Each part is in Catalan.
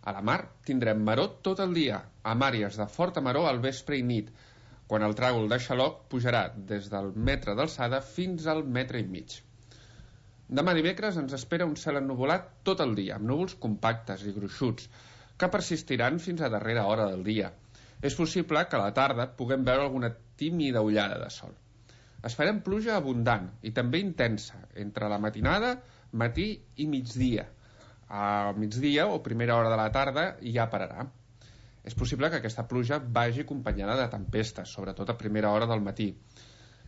A la mar tindrem maró tot el dia, amb àrees de forta maró al vespre i nit, quan el tràgol de xaloc pujarà des del metre d'alçada fins al metre i mig. Demà dimecres ens espera un cel ennuvolat tot el dia, amb núvols compactes i gruixuts, que persistiran fins a darrera hora del dia. És possible que a la tarda puguem veure alguna tímida ullada de sol. Esperem pluja abundant i també intensa, entre la matinada, matí i migdia. A migdia o primera hora de la tarda ja pararà. És possible que aquesta pluja vagi acompanyada de tempestes, sobretot a primera hora del matí.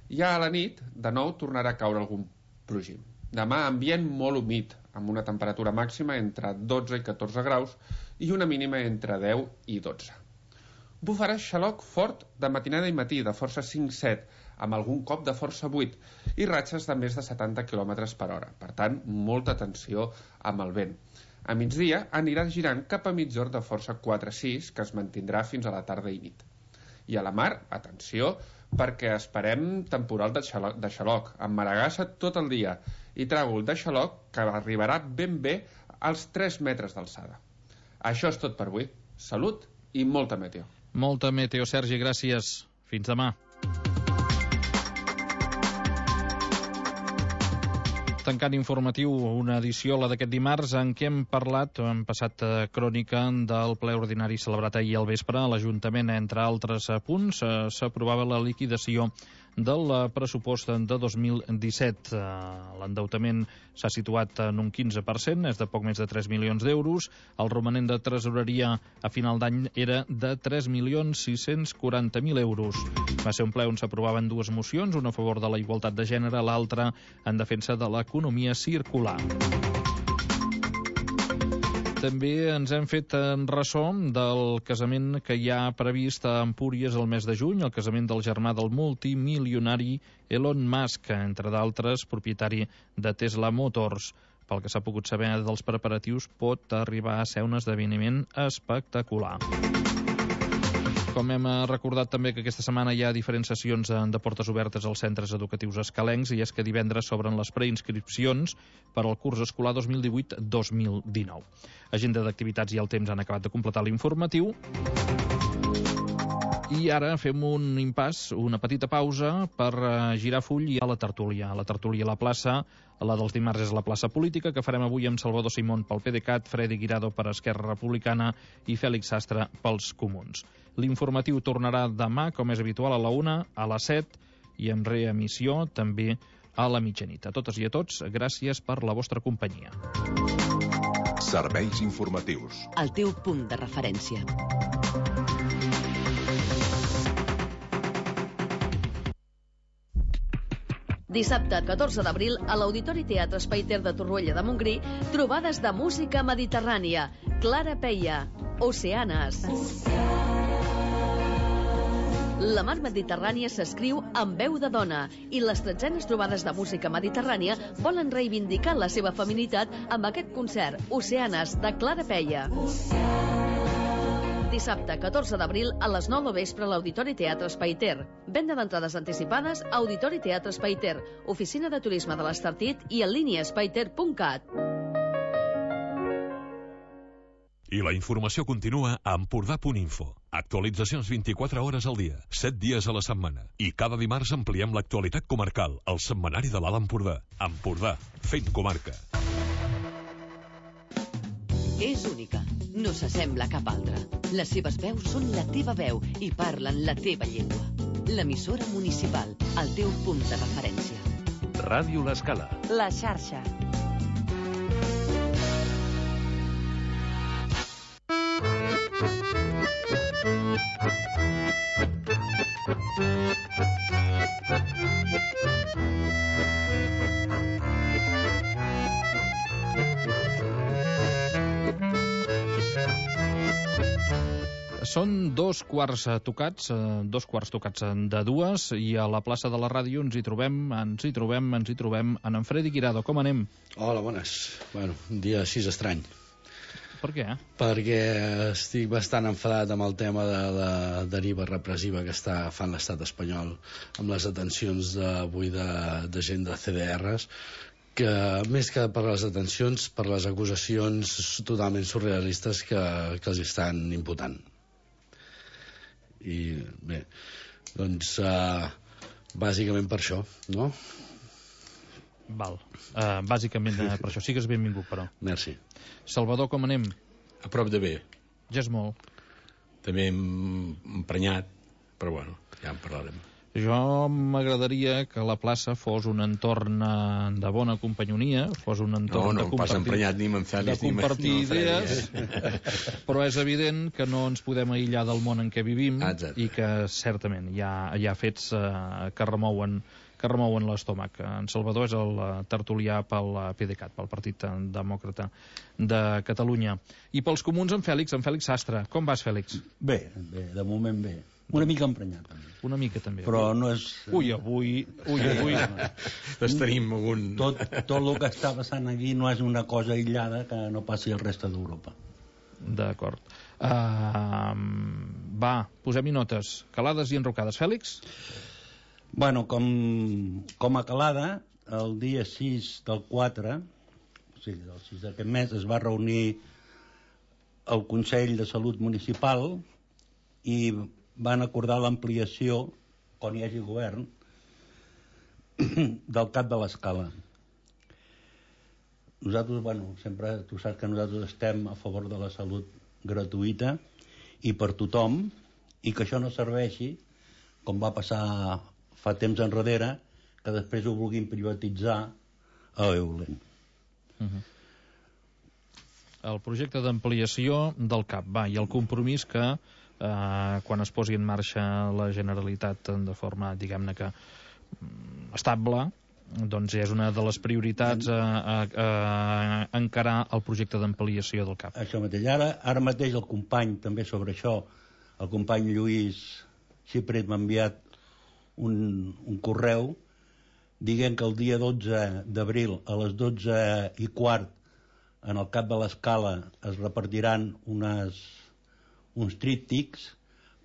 Ja a la nit, de nou, tornarà a caure algun plogim. Demà, ambient molt humit, amb una temperatura màxima entre 12 i 14 graus i una mínima entre 10 i 12. Bufarà xaloc fort de matinada i matí, de força 5-7, amb algun cop de força 8, i ratxes de més de 70 km per hora. Per tant, molta atenció amb el vent. A migdia anirà girant cap a migjorn de força 4-6, que es mantindrà fins a la tarda i nit. I a la mar, atenció, perquè esperem temporal de xaloc, amb maragassa tot el dia, i tràgol de xaloc que arribarà ben bé als 3 metres d'alçada. Això és tot per avui. Salut i molta meteo. Molta meteo, Sergi, gràcies. Fins demà. Tancant informatiu, una edició, la d'aquest dimarts, en què hem passat crònica del ple ordinari celebrat ahir al vespre. A l'Ajuntament, entre altres punts, s'aprovava la liquidació del pressupost de 2017. L'endeutament s'ha situat en un 15%, és de poc més de 3 milions d'euros. El romanent de tresoreria a final d'any era de 3.640.000 euros. Va ser un ple on s'aprovaven dues mocions, una a favor de la igualtat de gènere, l'altra en defensa de l'economia circular. També ens hem fet ressò del casament que hi ha previst a Empúries el mes de juny, el casament del germà del multimilionari Elon Musk, entre d'altres, propietari de Tesla Motors. Pel que s'ha pogut saber dels preparatius, pot arribar a ser un esdeveniment espectacular. Com hem recordat també que aquesta setmana hi ha diferents sessions de portes obertes als centres educatius escalencs, i és que divendres s'obren les preinscripcions per al curs escolar 2018-2019. Agenda d'activitats i el temps han acabat de completar l'informatiu. I ara fem un impàs, una petita pausa per girar full i a la tertúlia. La tertúlia a la plaça, la dels dimarts és la plaça política, que farem avui amb Salvador Simón pel PDeCAT, Freddy Guirado per Esquerra Republicana i Fèlix Sastre pels Comuns. L'informatiu tornarà demà, com és habitual, a la 1, a les 7 i amb reemissió també a la mitjanit. A totes i a tots, gràcies per la vostra companyia. Serveis informatius. El teu punt de referència. Dissabte 14 d'abril, a l'Auditori Teatre Espai Ter de Torroella de Montgrí, trobades de música mediterrània. Clara Peia, Oceanes. La mar Mediterrània s'escriu amb veu de dona i les 13enes trobades de música mediterrània volen reivindicar la seva feminitat amb aquest concert, Oceanes, de Clara Peia. Dissabte 14 d'abril a les 9 del vespre a l'Auditori Teatre Espai Ter. Venda d'entrades anticipades a Auditori Teatre Espai Ter, Oficina de Turisme de l'Estartit i en línia espaiter.cat. I la informació continua a Empordà.info. Actualitzacions 24 hores al dia, 7 dies a la setmana. I cada dimarts ampliem l'actualitat comarcal, al setmanari de l'Alt Empordà. Empordà, fent comarca. És única, no s'assembla a cap altra. Les seves veus són la teva veu i parlen la teva llengua. L'emissora municipal, el teu punt de referència. Ràdio L'Escala. La xarxa. Són dos quarts tocats de dues, i a la plaça de la ràdio ens hi trobem en Freddy Guirado. Com anem? Hola, bones. Bueno, un dia així estrany. Per què? Perquè estic bastant enfadat amb el tema de la deriva repressiva que està fan l'estat espanyol amb les detencions d'avui de gent de CDRs, que més que per les detencions, per les acusacions totalment surrealistes que els estan imputant. I bé, doncs bàsicament per això, no? Val. Bàsicament per això. Sigues benvingut, però. Merci. Salvador, com anem? A prop de bé. Ja és molt. També emprenyat, però bueno, ja en parlarem. Jo m'agradaria que la plaça fos un entorn de bona companyonia, fos un entorn de compartir, emprenyat, ni de compartir idees, però és evident que no ens podem aïllar del món en què vivim. Exacte. I que certament hi ha fets que remouen l'estómac. En Salvador és el tertulià pel PDeCAT, pel Partit Demòcrata de Catalunya. I pels comuns, en Fèlix Sastre. Com vas, Fèlix? Bé, de moment bé. Una mica emprenyat, també. Una mica, també. Però no és... Ui, avui... Doncs tenim algun... Tot el que està passant aquí no és una cosa aïllada que no passi al reste d'Europa. D'acord. Va, posem-hi notes. Calades i enrocades. Fèlix? Bueno, com a calada, el dia 6 del 4, o sigui, el 6 d'aquest mes, es va reunir el Consell de Salut Municipal i van acordar l'ampliació, quan hi hagi govern, del CAP de l'Escala. Nosaltres, bueno, sempre tu saps que nosaltres estem a favor de la salut gratuïta i per tothom, i que això no serveixi, com va passar fa temps enrere, que després ho vulguin privatitzar a Eulen. El projecte d'ampliació del CAP, va, i el compromís que quan es posi en marxa la Generalitat de forma, diguem-ne que estable, doncs és una de les prioritats a encarar el projecte d'ampliació del CAP. Això mateix. Ara mateix el company, també sobre això, el company Lluís Xipret m'ha enviat un correu dient que el dia 12 d'abril a les 12:15 en el CAP de l'Escala es repartiran uns tríptics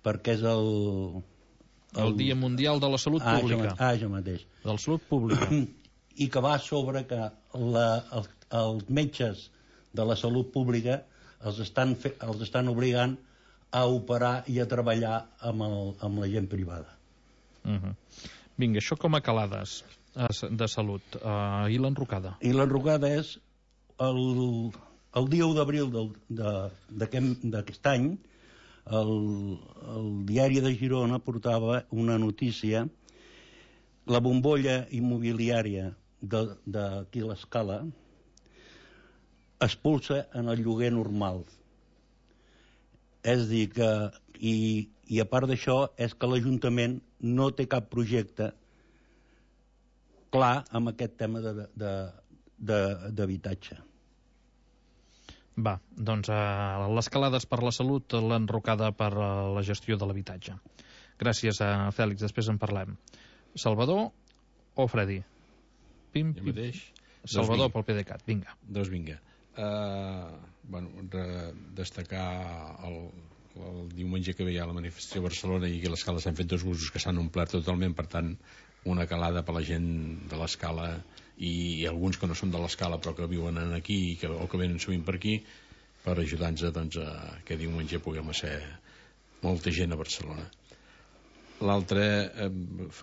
perquè és el Dia Mundial de la Salut Pública. Això mateix. De la salut pública. I que va sobre que els metges de la salut pública els estan obligant a operar i a treballar amb la gent privada. Vinga, això com a calades de salut. I l'enrocada? I l'enrocada és el dia 1 d'abril d'aquest any, el diari de Girona portava una notícia: la bombolla immobiliària d'aquí a l'Escala expulsa en el lloguer normal. És a dir que, i a part d'això, és que l'Ajuntament no té cap projecte clar amb aquest tema d'habitatge. Va, doncs les calades per la salut, l'enrocada per la gestió de l'habitatge. Gràcies, Fèlix, després en parlem. Salvador o Freddy? Pim, jo mateix. Salvador pel PDeCAT, vinga. Doncs vinga. Destacar el diumenge que veia la manifestació a Barcelona i que a l'Escala s'han fet 2 busos que s'han omplert totalment, per tant una calada per la gent de l'Escala i alguns que no són de l'Escala però que viuen aquí o que venen sovint per aquí, per ajudar-nos doncs, que diumenge puguem ser molta gent a Barcelona. L'altra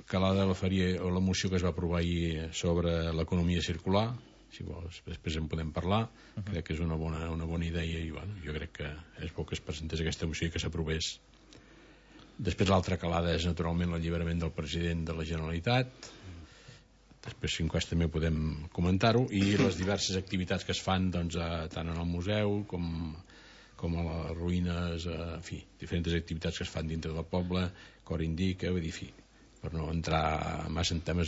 calada la faria o la moció que es va aprovar ahir sobre l'economia circular. Si vols, després en podem parlar. Crec que és una bona idea i bueno, jo crec que és bo que es presentés aquesta moció i que s'aprovés. Després l'altra calada és naturalment l'alliberament del president de la Generalitat. Després si en cas també podem comentar-ho, i les diverses activitats que es fan doncs, tant en el museu com a les ruïnes, en fi, diferents activitats que es fan dintre del poble, Cor Indica, vull dir, fi, per no entrar massa en temes,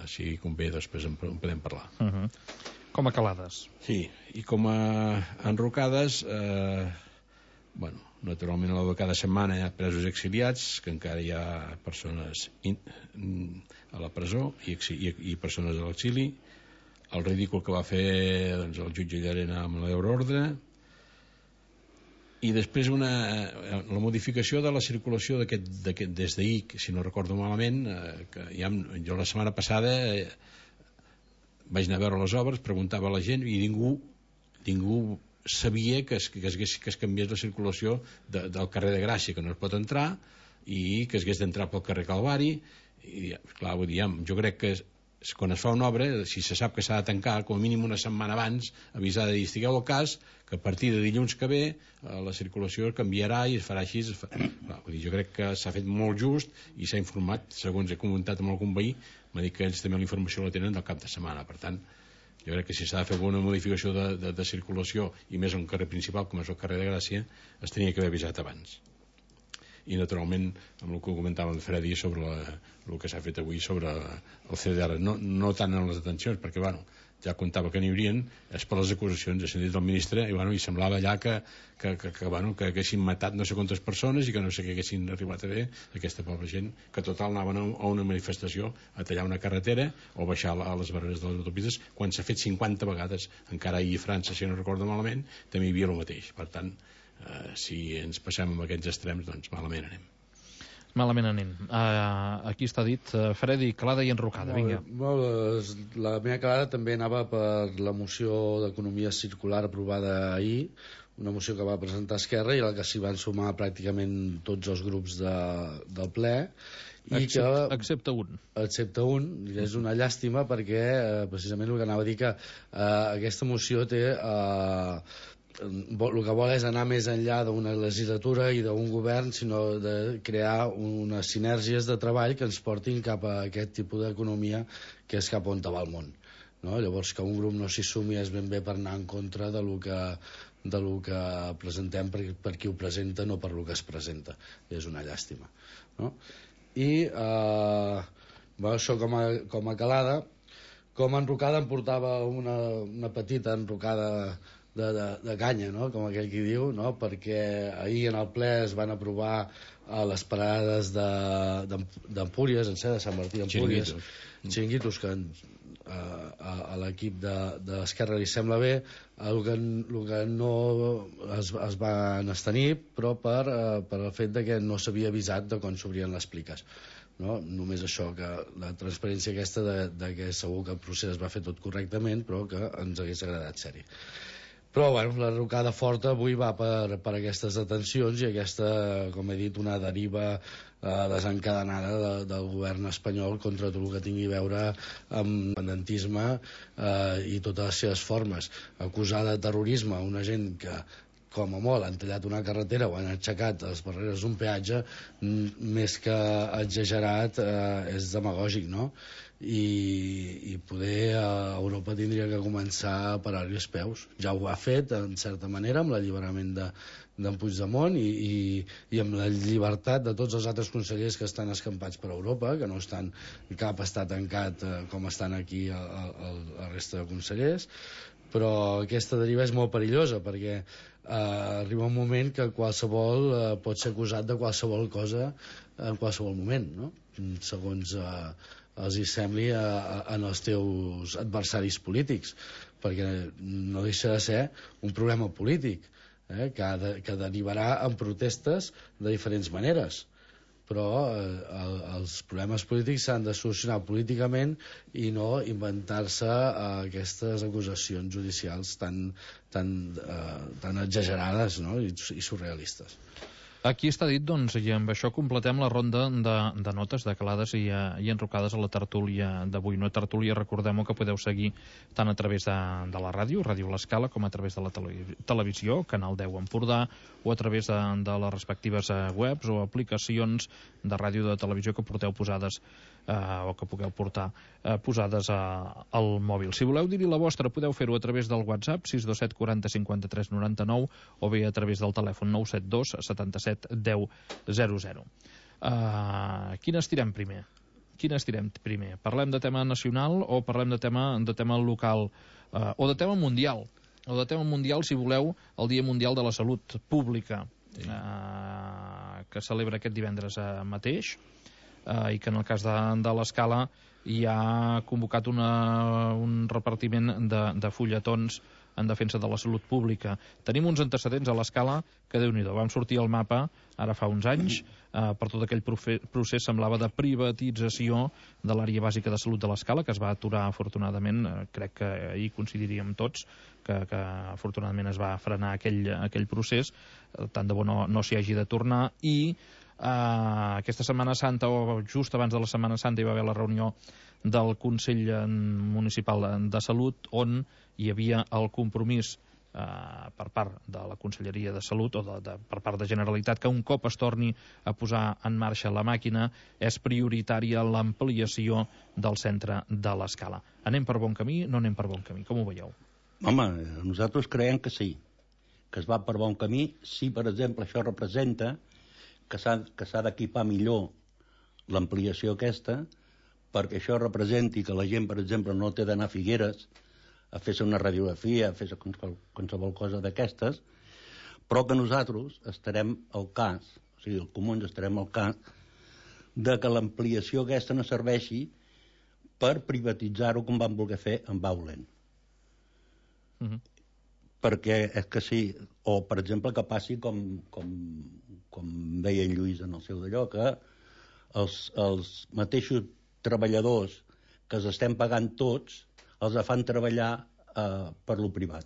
si convé després en podem parlar. Com a calades. Sí, i com a enrocades, bueno, naturalment cada setmana hi ha presos exiliats, que encara hi ha persones a la presó i persones a l'exili. El ridícul que va fer doncs, el jutge Llarena amb l'euroordre, i després la modificació de la circulació des d'ahir, si no recordo malament, que jo la setmana passada vaig anar a veure les obres, preguntava a la gent i ningú sabia que es canviés la circulació del carrer de Gràcia, que no es pot entrar, i que es hagués d'entrar pel carrer Calvari. I clar, vull dir, jo crec que quan es fa una obra, si se sap que s'ha de tancar, com a mínim una setmana abans, avisar de dir, estigueu al cas, que a partir de dilluns que ve la circulació canviarà i es farà així. Clar, vull dir, jo crec que s'ha fet molt just i s'ha informat, segons he comentat amb algun veí, m'ha dit que ells també la informació la tenen del cap de setmana. Per tant, jo crec que si s'ha de fer alguna modificació de circulació, i més a un carrer principal com és el carrer de Gràcia, es tenia que haver avisat abans. I naturalment amb el que comentava en Freddy sobre el que s'ha fet avui sobre el CDR, no tant en les detencions, perquè ja comptava que n'hi haurien, és per les acusacions. Ha sentit el ministre i semblava allà que haguessin matat no sé quantes persones i que no sé què haguessin arribat a fer aquesta pobra gent, que total anaven a una manifestació a tallar una carretera o baixar a les barreres de les autopistes, quan s'ha fet 50 vegades. Encara ahir a França, si no recordo malament, també hi havia el mateix. Per tant, si ens passem amb aquests extrems, doncs malament anem. Malament anem. Aquí està dit. Freddy, calada i enrocada, vinga. La meva calada també anava per la moció d'economia circular aprovada ahir, una moció que va presentar Esquerra i a la que s'hi van sumar pràcticament tots els grups del ple. Excepte un. Excepte un, i és una llàstima perquè precisament el que anava a dir que aquesta moció té... el que vol és anar més enllà d'una legislatura i d'un govern, sinó de crear unes sinergies de treball que ens portin cap a aquest tipus d'economia que és cap on va el món, no? Llavors que un grup no s'hi sumi és ben bé per anar en contra de lo que presentem per qui ho presenta, no per lo que es presenta. És una llàstima, no? I això com a calada. Com a enrocada em portava una petita enrocada de canya, no? Com aquell qui diu, no? Perquè ahir en el ple es van aprovar les parades d'Empúries, en de Sant Martí d'Empúries, xiringuitos, que a l'equip d'Esquerra li sembla bé. El que no es van abstenir, però per el fet de que no s'havia avisat de quan s'obrien les pliques, no? Només això, que la transparència aquesta de que segur que el procés es va fer tot correctament, però que ens hagués agradat ser-hi. Però la rocada forta avui va per aquestes detencions i aquesta, com he dit, una deriva desencadenada del govern espanyol contra tot el que tingui a veure amb l'independentisme i totes les seves formes. Acusar de terrorisme una gent que, com a molt, han tallat una carretera o han aixecat les barreres d'un peatge, més que exagerat, és demagògic, no? I poder Europa tindria que començar a parar-li els peus. Ja ho ha fet, en certa manera, amb l'alliberament d'en Puigdemont i amb la llibertat de tots els altres consellers que estan escampats per Europa, que no estan, cap està tancat com estan aquí la resta de consellers. Però aquesta deriva és molt perillosa perquè arriba un moment que qualsevol pot ser acusat de qualsevol cosa en qualsevol moment, no? Segons els hi sembli en els teus adversaris polítics, perquè no deixa de ser un problema polític que derivarà en protestes de diferents maneres, però els problemes polítics s'han de solucionar políticament i no inventar-se aquestes acusacions judicials tan exagerades, no? I surrealistes. Aquí està dit, doncs, i amb això completem la ronda de notes, de calades i enrocades a la tertúlia d'avui. Una tertúlia, recordem-ho, que podeu seguir tant a través de la ràdio, Ràdio L'Escala, com a través de la televisió, Canal 10 Empordà, o a través de les respectives webs o aplicacions de ràdio o de televisió que porteu posades o que pugueu portar posades al mòbil. Si voleu dir-hi la vostra, podeu fer-ho a través del WhatsApp 627 40 53 99 o bé a través del telèfon 972 77 10 00. Quin estirem primer? Parlem de tema nacional o parlem de tema local o de tema mundial? O de tema mundial, si voleu, el Dia Mundial de la Salut Pública, que celebra aquest divendres mateix, i que en el cas de l'Escala hi ha convocat un repartiment de fulletons en defensa de la salut pública. Tenim uns antecedents a l'Escala que, Déu-n'hi-do, vam sortir al mapa ara fa uns anys, per tot aquell procés semblava de privatització de l'àrea bàsica de salut de l'Escala, que es va aturar afortunadament, crec que ahir coincidiríem tots, que afortunadament es va frenar aquell procés, tant de bo no s'hi hagi de tornar, i aquesta Setmana Santa, o just abans de la Setmana Santa, hi va haver la reunió del Consell Municipal de Salut, on hi havia el compromís per part de la Conselleria de Salut o per part de Generalitat que un cop es torni a posar en marxa la màquina és prioritària l'ampliació del centre de l'Escala. Anem per bon camí? No anem per bon camí? Com ho veieu? Home, nosaltres creiem que sí, que es va per bon camí. Si, per exemple, això representa que s'ha d'equipar millor l'ampliació aquesta, perquè això representi que la gent, per exemple, no té d'anar a Figueres a fer-se una radiografia, a fer-se qualsevol cosa d'aquestes, però que nosaltres estarem al cas, o sigui, els comuns estarem al cas, de que l'ampliació aquesta no serveixi per privatitzar-ho com van voler fer amb Baulen. Perquè és que sí, o per exemple que passi com deia en Lluís en el seu d'allò, que els mateixos treballadors que els estem pagant tots els fan treballar per lo privat.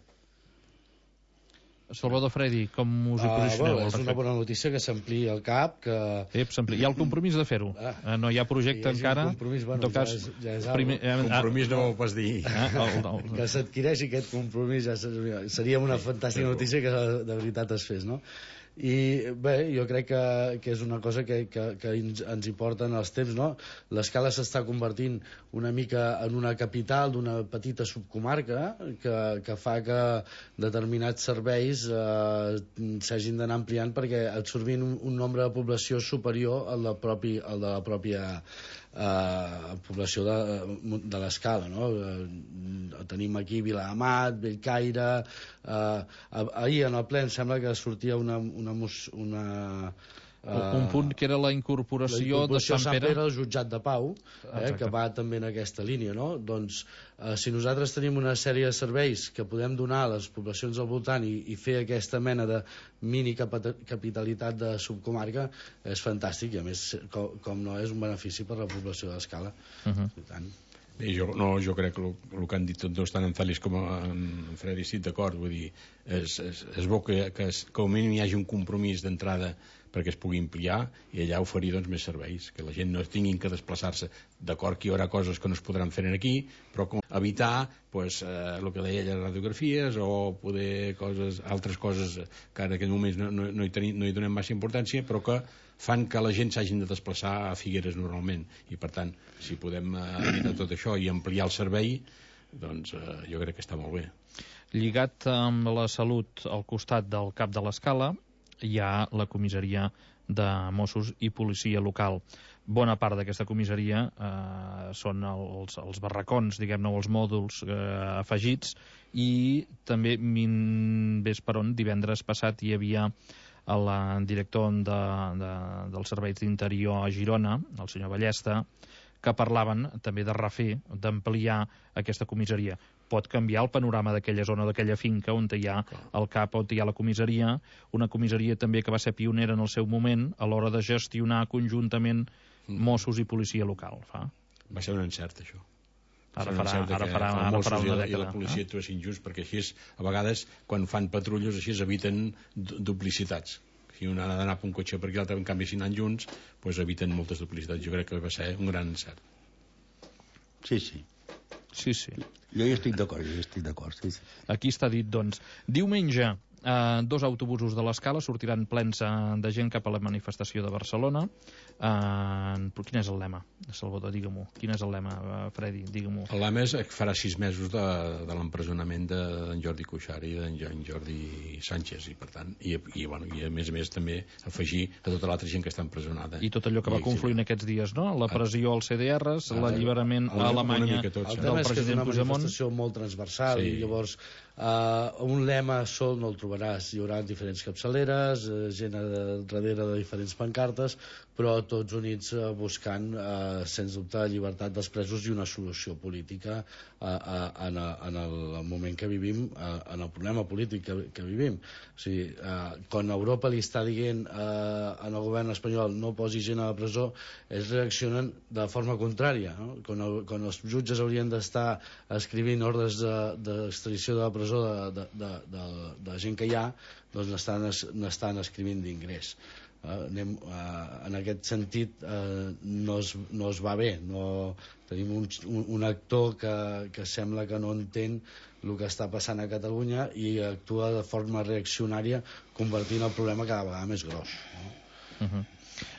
Salvador Fredi, com us hi posicioneu? És una bona notícia que s'ampliï el CAP, que... Hi ha el compromís de fer-ho. No hi ha projecte encara. En tot cas, compromís no ho pots dir. Que s'adquireixi aquest compromís seria una fantàstica notícia que de veritat es fes, no? I bé, jo crec que és una cosa que ens hi porten els temps, no? L'Escala s'està convertint una mica en una capital d'una petita subcomarca que fa que determinats serveis s'hagin d'anar ampliant perquè absorbint un nombre de població superior al de la pròpia població de l'Escala, no? Tenim aquí Viladamat, Bellcaire, ahir en el ple em sembla que sortia un punt que era la incorporació de Sant Pere al jutjat de Pau, que va també en aquesta línia, no? Doncs si nosaltres tenim una sèrie de serveis que podem donar a les poblacions al voltant i fer aquesta mena de mini capitalitat de subcomarca, és fantàstic, i a més com no és un benefici per la població de l'Escala. Bé, jo crec que el que han dit tots dos, tant en Fèlix com en Fredi, estic d'acord. Vull dir, és bo que com a mínim hi hagi un compromís d'entrada perquè es pugui ampliar i allà oferir doncs, més serveis, que la gent no tinguin que desplaçar-se. D'acord que hi haurà coses que no es podran fer aquí, però com evitar pues, el que deia ella, radiografies o poder altres coses que en aquest moment no hi donem massa importància, però que fan que la gent s'hagin de desplaçar a Figueres normalment, i per tant si podem evitar tot això i ampliar el servei, doncs jo crec que està molt bé. Lligat amb la salut al costat del cap de l'Escala hi ha la comissaria de Mossos i policia local. Bona part d'aquesta comissaria són els barracons, diguem-ne, els mòduls afegits, i també ves per on divendres passat hi havia el director dels serveis d'interior a Girona, el senyor Ballesta, que parlaven també de refer, d'ampliar aquesta comissaria. Pot canviar el panorama d'aquella zona, d'aquella finca on hi ha el CAP, on hi ha la comissaria, una comissaria també que va ser pionera en el seu moment a l'hora de gestionar conjuntament Mossos i policia local. Va ser un encert, això. Ara farà una dècada. I la policia actuessin junts, perquè així, a vegades, quan fan patrulles, així eviten duplicitats. Si un ha d'anar per un cotxe per aquí, l'altre, en canvi, si anant junts, doncs eviten moltes duplicitats. Jo crec que va ser un gran encert. Sí. Jo hi estic d'acord, sí. Aquí està dit, doncs. Diumenge, 2 autobusos de l'Escala sortiran plens de gent cap a la manifestació de Barcelona. Quin és el lema? Salvador, digue-m'ho. Quin és el lema, Fredi? Digue-m'ho. El lema és que farà 6 mesos de l'empresonament d'en Jordi Cuixart i d'en Jordi Sánchez, i per tant, i a més també afegir a tota l'altra gent que està empresonada. I tot allò que va confluir en aquests dies, no? La pressió als CDRs, l'alliberament a Alemanya del president Puigdemont. És una manifestació molt transversal, i llavors Un lema sol no el trobaràs, hi haurà diferents capçaleres, gent darrere de diferents pancartes, però tots units buscant, sens dubte, llibertat dels presos i una solució política en el moment que vivim, en el problema polític que vivim. O sigui, quan Europa li està dient en el govern espanyol no posi gent a la presó, ells reaccionen de forma contrària, no? Quan els jutges haurien d'estar escrivint ordres d'extradició de la presó de gent que hi ha, doncs n'estan escrivint d'ingrés. En aquest sentit no es va bé, tenim un actor que sembla que no entén el que està passant a Catalunya i actua de forma reaccionària, convertint el problema cada vegada més gros.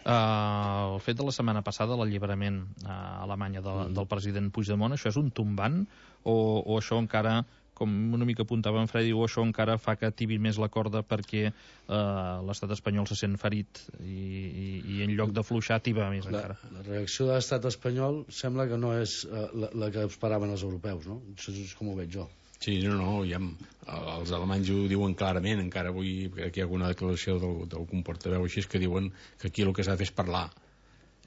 El fet de la setmana passada, l'alliberament a Alemanya del president Puigdemont, això és un tombant o això encara, com una mica apuntava en Freddy, o això encara fa que tibi més la corda perquè l'estat espanyol se sent ferit i en lloc d'afluixar tiba més encara? La reacció de l'estat espanyol sembla que no és la que esperaven els europeus, no? Això és com ho veig jo. Sí, els alemanys ho diuen clarament, encara avui aquí hi ha alguna declaració d'algun portaveu així que diuen que aquí el que s'ha de fer és parlar.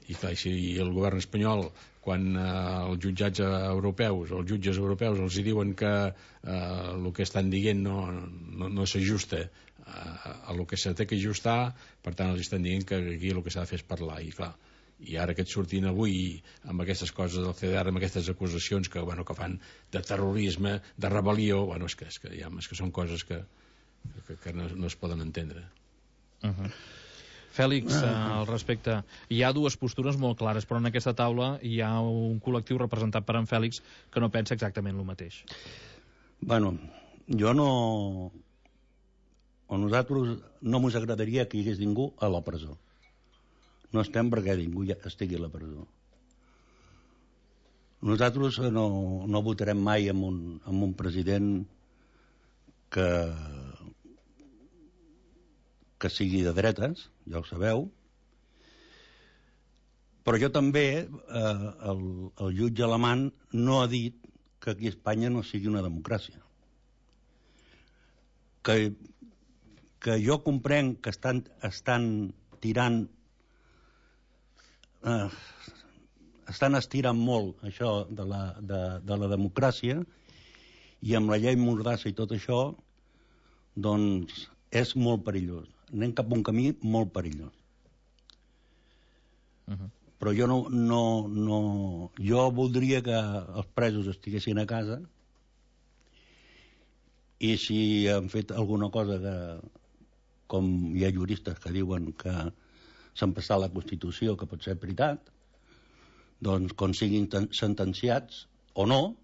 I clar, si el govern espanyol, quan els jutjats europeus, els jutges europeus els diuen que el que estan dient no s'ajusta a el que s'ha de ajustar, per tant els estan dient que aquí el que s'ha de fer és parlar. I clar, i ara que et sortin avui amb aquestes coses del CDR, amb aquestes acusacions que fan de terrorisme, de rebel·lió, és que són coses que no es poden entendre. Fèlix, al respecte, hi ha dues postures molt clares, però en aquesta taula hi ha un col·lectiu representat per en Fèlix que no pensa exactament el mateix. Jo no... A nosaltres no ens agradaria que hi hagués ningú a la presó. No estem perquè ningú estigui a la presó. Nosaltres no votarem mai amb un president que sigui de dretes, ja ho sabeu, però jo també, el jutge alemany no ha dit que aquí a Espanya no sigui una democràcia. Que jo comprenc que estan tirant, estan estirant molt això de la democràcia, i amb la llei Mordassa i tot això, doncs és molt perillós. Anem cap a un camí molt perillós. Però jo voldria que els presos estiguessin a casa, i si han fet alguna cosa com hi ha juristes que diuen que s'han passat la Constitució, que pot ser veritat, doncs quan siguin sentenciats o no,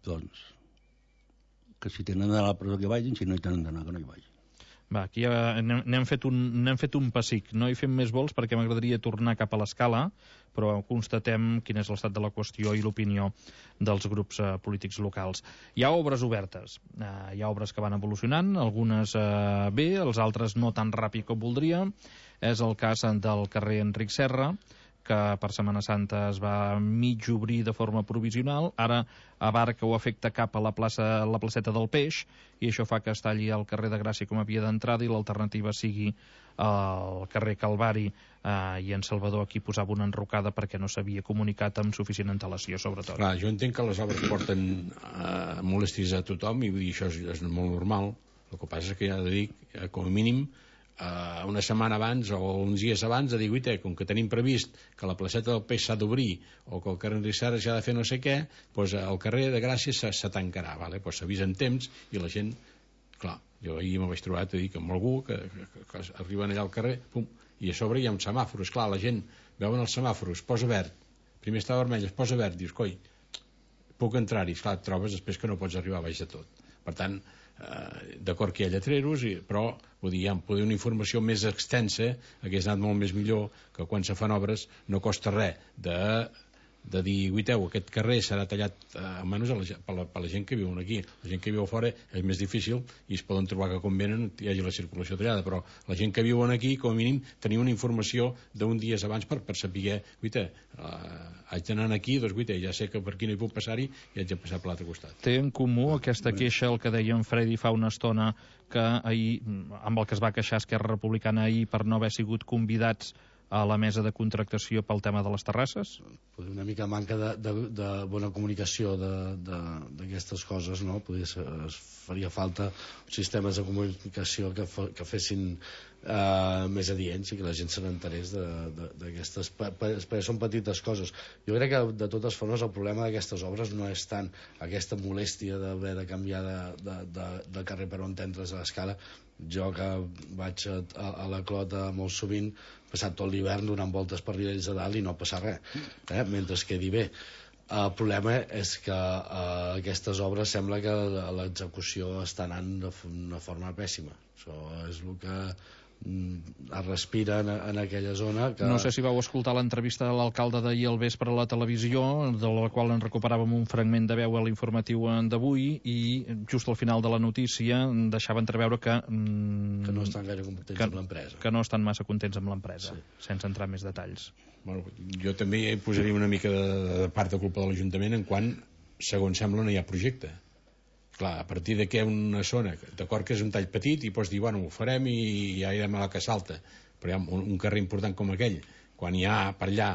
doncs que si tenen d'anar a la presó que vagin, si no hi tenen d'anar que no hi vagin. Va, aquí n'hem fet un pessic. No hi fem més vols perquè m'agradaria tornar cap a l'escala, però constatem quin és l'estat de la qüestió i l'opinió dels grups polítics locals. Hi ha obres obertes, hi ha obres que van evolucionant, algunes bé, els altres no tan ràpid com voldria. És el cas del carrer Enric Serra, que per Setmana Santa es va mig obrir de forma provisional, ara abarca o afecta cap a la placeta del Peix, i això fa que es talli el carrer de Gràcia com a via d'entrada i l'alternativa sigui el carrer Calvari, i en Salvador aquí posava una enrocada perquè no s'havia comunicat amb suficient antelació, sobretot. Clar, jo entenc que les obres porten molèsties a tothom, i vull dir, això és molt normal. El que passa és que ja de dir, com a mínim, una setmana abans o uns dies abans de dir, com que tenim previst que la placeta del Peix s'ha d'obrir o que el carrer Enric Serra s'ha de fer no sé què, doncs el carrer de Gràcia se tancarà, doncs s'avisa en temps i la gent, clar, jo ahir me vaig trobar amb algú que arriben allà al carrer, pum, i a sobre hi ha uns semàfors, clar, la gent veuen els semàfors, posa verd, primer està vermell, es posa verd, dius, coi, puc entrar-hi, clar, et trobes després que no pots arribar a baix de tot. Per tant, d'acord que hi ha lletreros, però vull dir, poder una informació més extensa hagués anat molt més millor, que quan se fan obres no costa res de dir, guiteu, aquest carrer serà tallat almenys per la gent que viuen aquí. La gent que viu a fora és més difícil i es poden trobar que quan venen hi hagi la circulació tallada, però la gent que viuen aquí, com a mínim, tenir una informació d'un dia abans per saber, guita, haig d'anar aquí, doncs guita, ja sé que per aquí no hi puc passar-hi i haig de passar per l'altre costat. Té en comú aquesta queixa, el que deia en Freddy fa una estona, que ahir, amb el que es va queixar Esquerra Republicana ahir per no haver sigut convidats a la mesa de contractació pel tema de les terrasses? Una mica manca de bona comunicació d'aquestes coses, no? Es faria falta sistemes de comunicació que fessin més adients i que la gent se n'enterés d'aquestes, perquè són petites coses. Jo crec que de totes formes el problema d'aquestes obres no és tant aquesta molèstia d'haver de canviar de carrer per on entres a l'escala. Jo que vaig a la Clota molt sovint, passat tot l'hivern donant voltes per Riells de Dalt i no passa res, mentre es quedi bé. El problema és que aquestes obres sembla que l'execució està anant d'una forma pèssima. Això és el que es respira en aquella zona que... No sé si vau escoltar l'entrevista de l'alcalde d'ahir al vespre a la televisió, de la qual en recuperàvem un fragment de veu a l'informatiu d'avui, i just al final de la notícia deixava entreveure que no estan gaire contents amb l'empresa, que no estan massa contents amb l'empresa, sense entrar en més detalls. Bueno, jo també posaria una mica de part de culpa de l'Ajuntament en quan, segons sembla, no hi ha projecte. Clar, a partir de què una zona, d'acord que és un tall petit i pots dir, bueno, ho farem i ja irem a la que salta, però hi ha un carrer important com aquell, quan hi ha per allà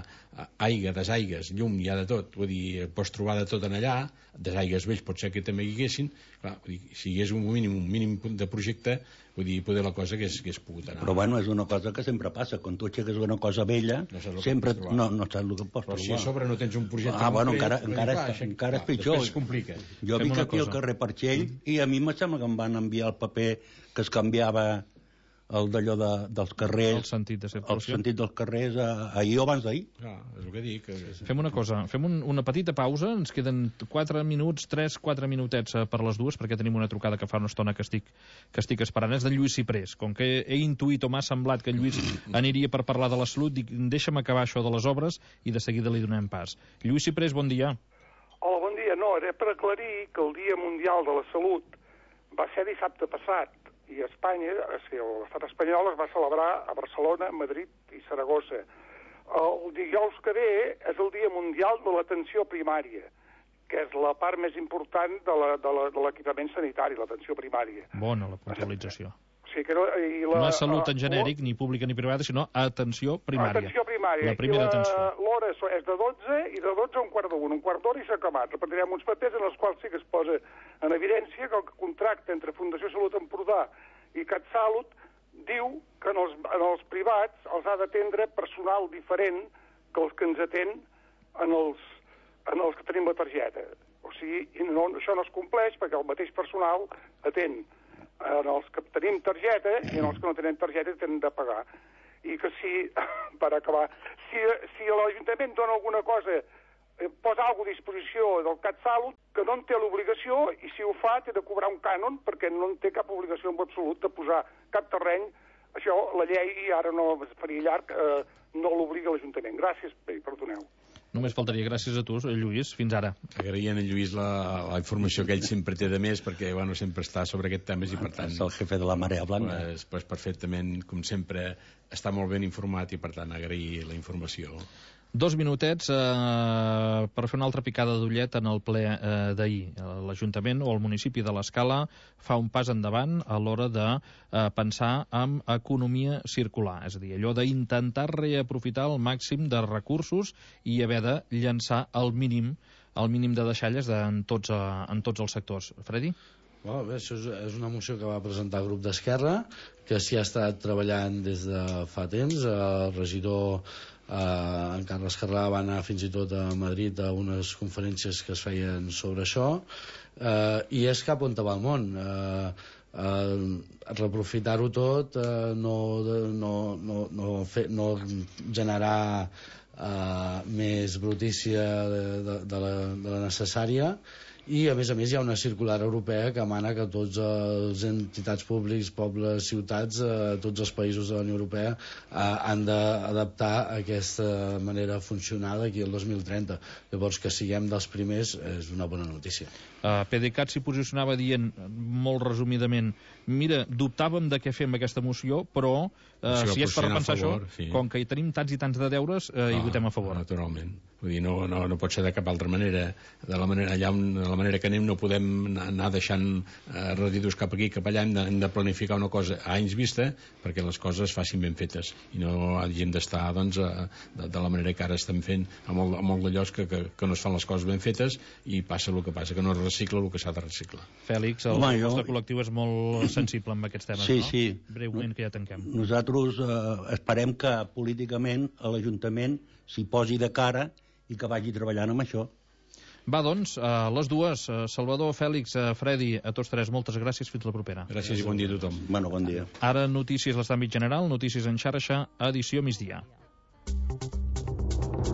aigua, desaigues, llum, hi ha de tot, vull dir, pots trobar de tot en allà, desaigues vells pot ser que també hi haguessin, clar, vull dir, si hi hagués un mínim de projecte, vull dir, poder la cosa que hagués pogut anar. Però bueno, és una cosa que sempre passa, quan tu aixeques una cosa vella, sempre no saps el que pots trobar. Però si a sobre no tens un projecte bueno, encara és pitjor. Es complica. Jo vinc aquí al carrer Parxell i a mi em sembla que em van enviar el paper que es canviava el d'allò dels carrers, el sentit de circulació, el sentit dels carrers ahir o abans d'ahir. És el que dic. Fem una cosa, fem una petita pausa, ens queden 4 minuts, 3-4 minutets per les dues, perquè tenim una trucada que fa una estona que estic esperant. És de Lluís Ciprés. Com que he intuït o m'ha semblat que Lluís aniria per parlar de la salut, dic, deixa'm acabar això de les obres i de seguida li donem pas. Lluís Ciprés, bon dia. Hola, bon dia. No, era per aclarir que el Dia Mundial de la Salut va ser dissabte passat, i Espanya, l'estat espanyol es va celebrar a Barcelona, Madrid i Saragossa. El dijous que ve és el Dia Mundial de l'Atenció Primària, que és la part més important de l'equipament sanitari, l'atenció primària. Bona la puntualització. Sí, que no és salut en genèric, ni pública ni privada, sinó atenció primària. Atenció primària. La primera atenció. L'hora és de 12 i de 12 a un quart d'una. Un quart d'hora i s'ha acabat. Repartirem uns papers en els quals sí que es posa en evidència que el contracte entre Fundació Salut Empordà i CatSalut diu que en els privats els ha d'atendre personal diferent que els que ens atén en els que tenim la targeta. O sigui, això no es compleix perquè el mateix personal atén en els que tenim targeta i en els que no tenen targeta tenen de pagar. I que si, per acabar, si l'Ajuntament dona alguna cosa, posa alguna a disposició del CatSalut, que no en té l'obligació, i si ho fa té de cobrar un cànon perquè no en té cap obligació en absolut de posar cap terreny. Això, la llei, ara no es faria llarg, no l'obliga l'Ajuntament. Gràcies, perdoneu. Només faltaria. Gràcies a tu, Lluís. Fins ara. Agraïen a Lluís la informació que ell sempre té de més, perquè bueno, sempre està sobre aquest tema i per tant... És el jefe de la Marea Blanca. Pues perfectament, com sempre, està molt ben informat i per tant agrair la informació. 2 minutets per fer una altra picada d'ullet en el ple d'ahir. L'Ajuntament o el municipi de l'Escala fa un pas endavant a l'hora de pensar en economia circular, és a dir, allò d'intentar reaprofitar el màxim de recursos i haver de llançar el mínim de deixalles en tots els sectors. Freddy? Bé, això és una moció que va presentar el grup d'Esquerra, que s'hi ha estat treballant des de fa temps. El regidor en Carles Carrà va anar fins i tot a Madrid a unes conferències que es feien sobre això, i és cap on va el món. Reaprofitar-ho tot, no generar més brutícia de la necessària, I a més hi ha una circular europea que mana que tots els entitats públics, pobles, ciutats, tots els països de la Unió Europea han d'adaptar aquesta manera de funcionar d'aquí al 2030. Llavors, que siguem dels primers és una bona notícia. PDeCAT s'hi posicionava dient, molt resumidament, mira, dubtàvem de què fem aquesta moció, però si és per repensar això, com que hi tenim tants i tants de deures, hi votem a favor. Naturalment. Vull dir, no pot ser de cap altra manera. De la manera que anem no podem anar deixant residus cap aquí, cap allà. Hem de planificar una cosa a anys vista perquè les coses es facin ben fetes i no hagin d'estar de la manera que ara estem fent amb molt de llocs que no es fan les coses ben fetes i passa el que passa, que no es recicla el que s'ha de reciclar. Fèlix, el nostre col·lectiu és molt sensible amb aquests temes, no? Sí. Breument, que ja tanquem. Nosaltres esperem que políticament a l'Ajuntament s'hi posi de cara i que vagi treballant amb això. Va, doncs, a les dues, Salvador, Fèlix, Fredi, a tots tres, moltes gràcies, fins la propera. Gràcies i bon dia a tothom. Bueno, bon dia. Ara notícies a l'àmbit general, notícies en xarxa, edició migdia.